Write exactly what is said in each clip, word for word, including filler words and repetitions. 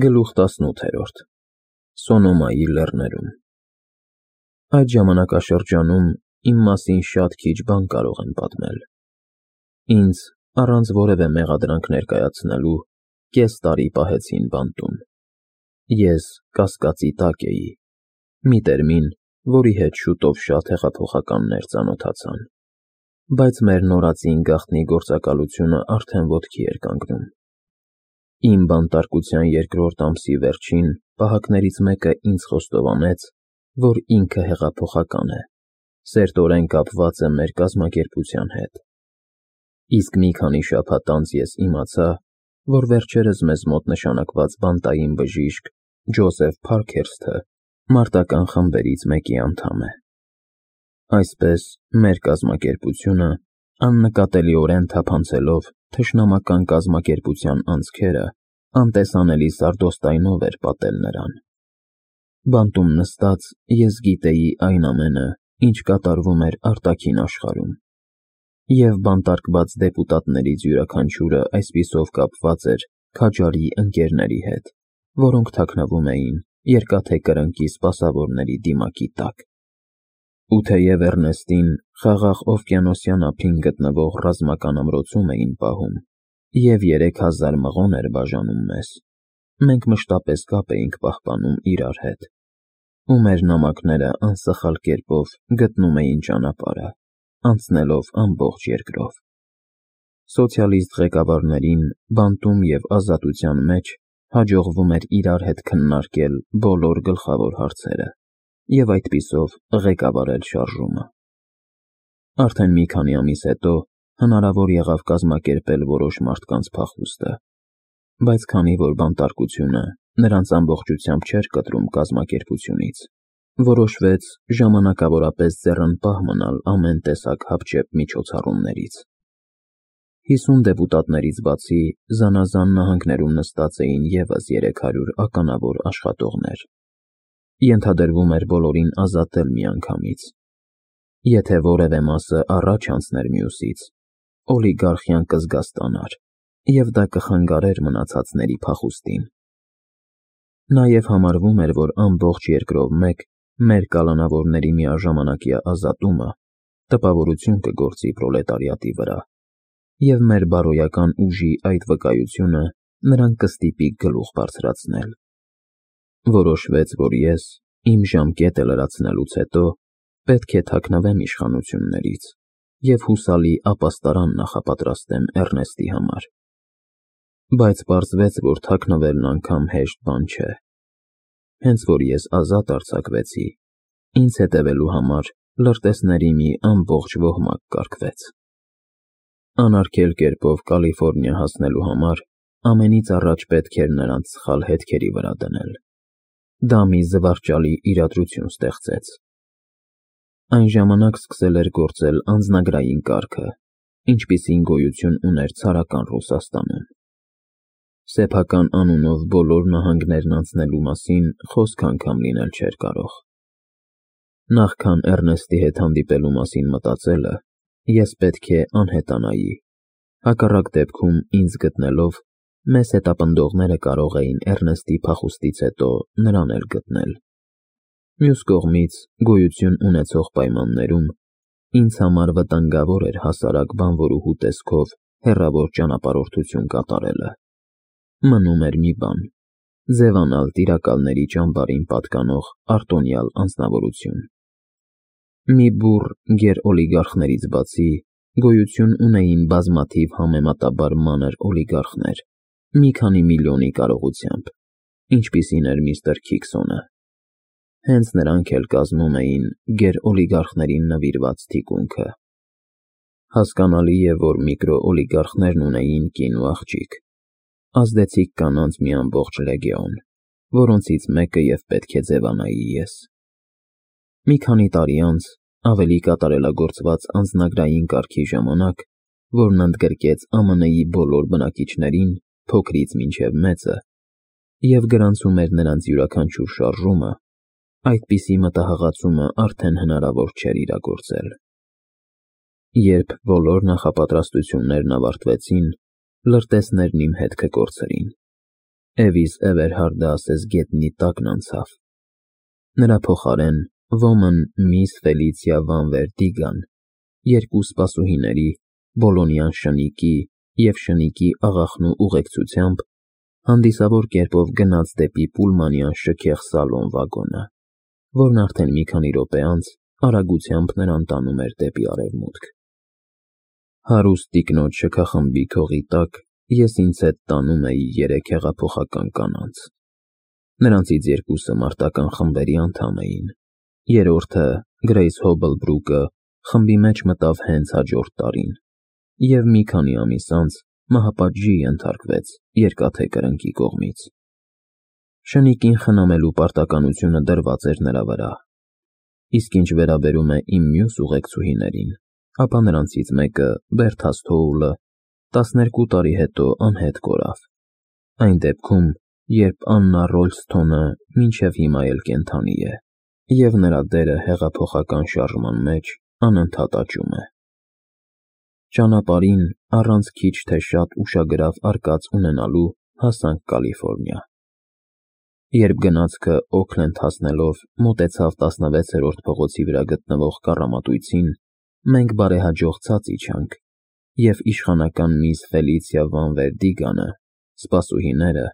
Գլուխ տասնութ Սոնոմայի լեռներում Այդ ժամանակաշրջանում իմ մասին շատ քիչ բան կարող եմ պատմել։ Ինձ, առանց որևէ մեղադրանք ներկայացնելու, կես տարի պահեցին բանտում։ Ես կասկածի տակ էի, մի տերմին, որի հետ շուտով շատ հեղափոխականներ ծանոթացան, բայց մեր նորածին գաղտնի գործակալությունը արդեն ոտքի էր կանգնում։ Իմ բանտարկության երկրորդ ամսի վերջին պահակներից մեկը ինձ խոստովանեց, որ ինքը հեղափոխական է, սերտորեն կապված է մեր կազմակերպության հետ։ Իսկ մի քանի շաբաթ անց ես իմացա, որ վերջերս մեզ մոտ նշանակված բանտային բժիշկ Ջոզեֆ Փարքերսթը մարտական խմբերից մեկի անդամ է։ Այսպես, մեր կազմակերպությունը, աննկատելիորեն թափանցելով թշնամական կազմակերպության անցքերը, անտեսանելի սարդոստայնով էր պատել նրան։ Բանտում նստած ես գիտեի այն ամենը, ինչ կատարվում էր արտաքին աշխարհում, և բանտարկված դեպուտատներից յուրաքանչյուրը այսպիսով կապված էր քաջարի ընկերների հետ, որոնք թաքնվում էին Երկաթե Կրնկի սպասավորների դիմակի տակ։ Ու թեև Էռնեստին խաղաղ օվկիանոսյան ափին գտնվող ռազմական ամրոցում էին պահում, և երեք հազար մղոն էր բաժանում մեզ, մենք մշտապես կապ էինք պահպանում իրար հետ, ու մեր նամակները անսխալ կերպով գտնում էին ճանապարհը, անցնելով ամբողջ երկրով։ Սոցիալիստ ղեկավարներին բանտում և ազատության մեջ հաջողվում էր իրար հետ քննարկել բոլոր գլխավոր հարցերը և այդպիսով ղեկավարել շարժումը։ Արդեն մի քանի ամիս հետո հնարավոր եղավ կազմակերպել որոշ մարդկանց փախուստը, բայց քանի որ բանտարկությունը նրանց ամբողջությամբ չէր կտրում կազմակերպությունից, որոշվեց ժամանակավորապես ձեռնպահ մնալ ամեն տեսակ հապճեպ միջոցառումներից։ Հիսուն դեպուտատներից բացի զանազան նահանգներում նստած էին ևս երեք հարյուր ականավոր աշխատողներ։ Ենթադրվում էր բոլորին ազատել միանգամից։ Եթե որևէ մասը առաջ անցներ մյուսից, օլիգարխիան կզգաստանար, և դա կխանգարեր մնացածների փախուստին։ Նաև համարվում էր, որ ամբողջ երկրով մեկ մեր կալանավորների միաժամանակյա ազատումը տպավորություն կգործի պրոլետարիատի վրա, և մեր բարոյական ուժի այդ վկայությունը նրան կստիպի գլուխ բարձրացնել։ Որոշվեց, որ ես, իմ ժամկետը լրացնելուց հետո, պետք է թաքնվեմ իշխանություններից և հուսալի ապաստարան նախապատրաստեմ Էռնեստի համար։ Բայց պարզվեց, որ թաքնվելն անգամ հեշտ բան չէ։ Հենց որ ես ազատ արձակվեցի, ինձ հետևելու համար լրտեսների մի ամբողջ ոհմակ կարգվեց։ Անարգել կերպով Կալիֆոռնիա հասնելու համար ամենից առաջ պետք էր նրանց սխալ հետքերի վրա դնել։ Դա մի զվարճալի իրադրություն ստեղծեց։ Այն ժամանակ սկսել էր գործել անձնագրային կարգը, ինչպիսին գոյություն ուներ ցարական Ռուսաստանում։ Սեփական անունով բոլոր նահանգներն անցնելու մասին խոսք անգամ լինել չէր կարող։ Նախքան Էռնեստի հետ հանդիպելու մասին մտածելը, ես պետք է անհետանայի, հակառակ դեպքում ինձ գտնելով, մեզ հետապնդողները կարող էին Էռնեստի փախուստից հետո նրան էլ գտնել։ Մյուս կողմից, գոյություն ունեցող պայմաններում, ինձ համար վտանգավոր էր հասարակ բանվորուհու տեսքով հեռավոր ճանապարհորդություն կատարելը։ Մնում էր մի բան՝ ձևանալ տիրակալների ճամբարին պատկանող արտոնյալ անձնավորություն։ Մի բուռ գերօլիգարխներից բացի, գոյություն ունեին բազմաթիվ համեմատաբար մանր օլիգարխներ, մի քանի միլիոնի կարողությամբ, ինչպիսին էր միստր Քիքսոնը։ Հենց նրանք էլ կազմում էին գերօլիգարխներին նվիրված թիկունքը։ Հասկանալի է, որ միկրոօլիգարխներն ունեին կին ու աղջիկ, ազդեցիկ կանանց մի ամբողջ լեգեոն, որոնցից մեկը և պետք է ձևանայի ես։ Մի քանի տարի անց, ավելի կատարելագործված անձնագրային կարգի ժամանակ, որն ընդգրկեց Ամն Ի բոլոր բնակիչներին, փոքրից մինչև մեծը, և գրանցում էր նրանց յուրաքանչյուր շարժումը, այդպիսի մտահղացումը արդեն հնարավոր չէր իրագործել։ Երբ բոլոր նախապատրաստություններն ավարտվեցին, լրտեսներն իմ հետքը կորցրին։ Էվիս Էվերհարդը ասես գետնի տակն անցավ։ Նրա փոխարեն ոմն միս Ֆելիցիա Վան Վերտիգան երկու սպասուհիների, Բոլոնյան շնիկի և շնիկի աղախնու ուղեկցությամբ հանդիսավոր կերպով գնաց դեպի Պուլմանյան շքեղ սալոն վագոնը, որն արդեն մի քանի րոպե անց արագությամբ նրան տանում էր դեպի արևմուտք։ Հարուստ տիկնոջ շքախմբի քողի տակ ես ինձ հետ տանում էի երեք հեղափոխական կանանց։ Նրանցից երկուսը մարտական խմբերի անդամ էին, երրորդը՝ Գրեյս Հոբլբրուկը, խմբի մեջ մտավ հենց հաջորդ տարին և մի քանի ամիս անց մահապատժի ենթարկվեց Երկաթե Կրնկի կողմից։ Շնիկին խնամելու պարտականությունը դրված էր նրա վրա, իսկ ինչ վերաբերում է իմ մյուս ուղեկցուհիներին, ապա նրանցից մեկը՝ Բերթ Հասթոուլը, տասներկու տարի հետո անհետ կորավ, այն դեպքում, երբ Աննա Ռոլսթոնը մինչև հիմա էլ կենդանի է, և նրա դերը հեղափոխական շարժման մեջ անընդհատ աճում է։ Ճանապարհին, առանց քիչ թե շատ ուշագրավ արկած ունենալու, հասանք Կալիֆոռնիա։ Երբ գնացքը Օքլենդ հասնելով մոտեցավ տասնվեցերորդ փողոցի վրա գտնվող կառամատույցին, մենք բարեհաջող ցած իջանք, և իշխանական միս Ֆելիցիա Վան Վերդիգանը, սպասուհիները,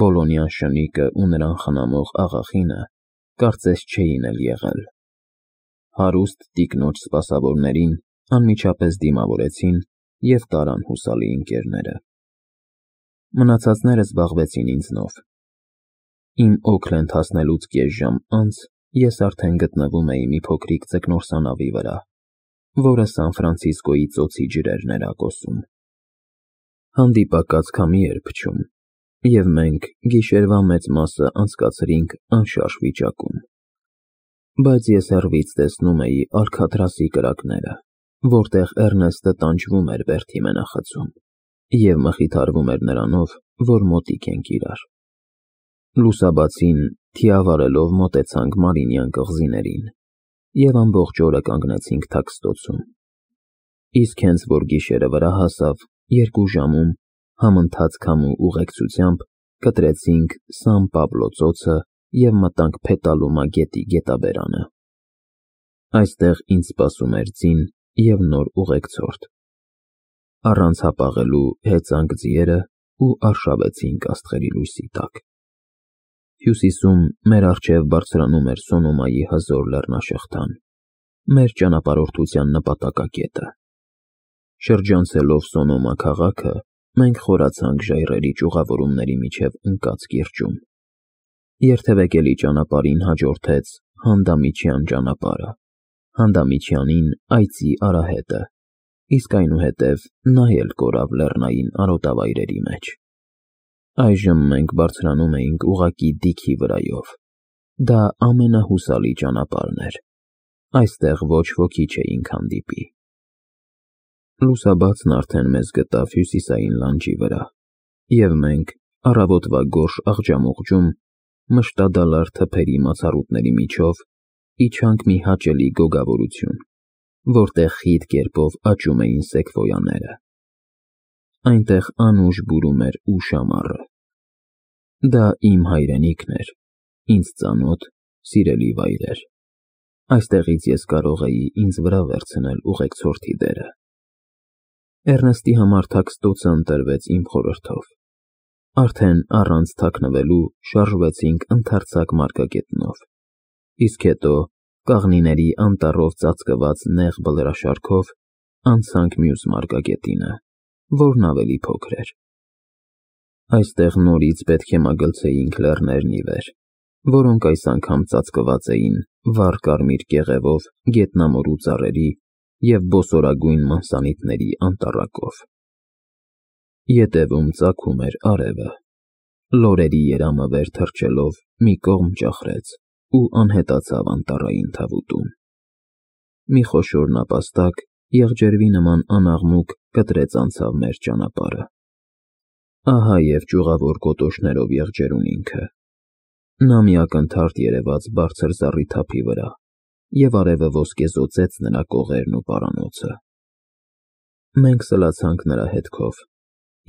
Բոլոնյան շնիկը ու նրան խնամող աղախինը կարծես չէին էլ եղել։ Հարուստ տիկնոջ սպասավորներին անմիջապես դիմավորեցին և տարան հուսալի ընկերները։ Մնացածները զբաղվեցին ինձնով։ Իմ Օքլենդ հասնելուց կես ժամ անց ես արդեն գտնվում էի մի փոքրիկ ձկնորսանավի վրա, որը Սան Ֆրանցիսկոյի ծոցի ջրերն էր ակոսում։ Հանդիպակաց քամի էր փչում, և մենք գիշերվա մեծ մասը անցկացրինք անշարժ վիճակում։ Բայց ես հեռվից տեսնում էի Ալքաթրասի կրակները, որտեղ Էռնեստը տանջվում էր Բերթի մենախցում և մխիթարվում էր նրանով, որ մոտիկ ենք իրար։ Լուսաբացին թիավարելով մոտեցանք Մարինյան կղզիներին և ամբողջ օրը կանգնեցինք թաքստոցում։ Իսկ հենց որ գիշերը վրա հասավ, երկու ժամում, համընթաց քամու ուղեկցությամբ կտրեցինք Սան Պաբլո ծոցը և մտանք Փետալումա գետի գետաբերանը։ Այստեղ ինձ սպասում էր ձին և նոր ուղեկցորդ։ Առանց հապաղելու հեծանք ձիերը ու արշավեցինք աստղերի լույսի տակ։ Հյուսիսում մեր առջև բարձրանում էր Սոնոմայի հզոր լեռնաշղթան, մեր ճանապարհորդության նպատակակետը։ Շրջանցելով Սոնոմա քաղաքը, մենք խորացանք ժայռերի ճյուղավորումների միջև ընկած կիրճում։ Երթևեկելի ճանապարհին հաջորդեց Հանդամիչյան ճանապարհը, Հանդամիչյանին այծի արահետը, իսկ այնուհետև նա էլ կորավ լեռնային արոտավայրերի մեջ։ Այժմ մենք բարձրանում էինք ուղղակի դիքի վրայով։ Դա ամենահուսալի ճանապարհն էր։ Այստեղ ոչ ոքի չէինք հանդիպի։ Լուսաբացն արդեն մեզ գտավ հյուսիսային լանջի վրա, և մենք առավոտվա գորշ աղջամուղջում, մշտադալար թփերի մացառուտների միջով, իջանք մի հաճելի գոգավորություն, որտեղ խիտ կերպով աճում էին սեկվոյաները։ Այնտեղ անուշ բուրում էր ուշ ամառը։ Դա իմ հայրենիքն էր, ինձ ծանոթ, սիրելի վայրեր։ Այստեղից ես կարող էի ինձ վրա վերցնել ուղեկցորդի դերը։ Էռնեստի համար թաքստոցը ընտրվեց իմ խորհրդով։ Արդեն առանց թաքնվելու շարժվեցինք ընդարձակ մարգագետնով, իսկ հետո կաղնիների անտառով ծածկված նեղ բլրաշարքով անցանք մյուս մարգագետինը, որն ավելի փոքր էր։ Այստեղ նորից պետք է մագլցեինք լեռներն ի վեր, որոնք այս անգամ ծածկված էին վառ կարմիր կեղևով գետնամորու ծառերի և բոսորագույն մանսանիթների անտառակով։ Ետևում ծագում էր արևը, լորերի երամը վեր թռչելով մի կողմ ճախրեց ու անհետացավ անտառային թավուտում։ Մի խոշոր նապաստակ եղջերվի նման անաղմուկ կտրեց անցավ մեր ճանապարհը։ Ահա և ճյուղավոր կոտոշներով եղջերուն ինքը։ Նա մի ակնթարթ երևաց բարձր զառիթափի վրա, և արևը ոսկեզօծեց նրա կողերն ու պարանոցը։ Մենք սլացանք նրա հետքով,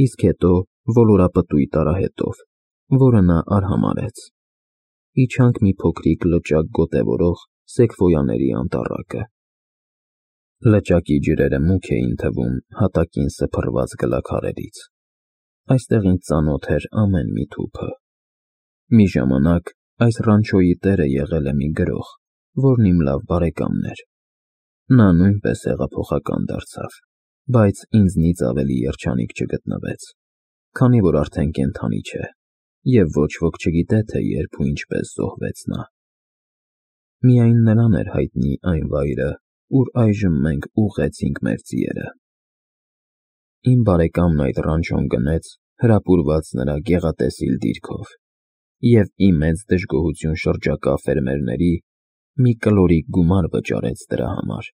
իսկ հետո ոլորապտույտ արահետով, որը նա արհամարհեց։ Իջանք մի փոքրիկ լճակ գոտևորող սեկվոյաների անտառակը։ Լճակի ջրերը մուգ էին թվում հատակին սփռված գլաքարերից։ Այստեղ ինձ ծանոթ էր ամեն մի թուփը։ Մի ժամանակ այս ռանչոյի տերը եղել է մի գրող, որն իմ լավ բարեկամն էր։ Նա նույնպես հեղափոխական դարձավ, բայց ինձնից ավելի երջանիկ չգտնվեց, քանի որ արդեն կենդանի չէ, և ոչ ոք չգիտե, թե երբ ու ինչպես զոհվեց նա։ Միայն նրան էր հայտնի այն վայրը, ուր այժմ մենք ուղղեցինք մեր ձիերը։ Իմ բարեկամն այդ ռանչոն գնեց, հրապուրված նրա գեղատեսիլ դիրքով, և ի մեծ դժգոհություն շրջակա ֆերմերների մի կլորիկ գումար վճարեց դրա համար։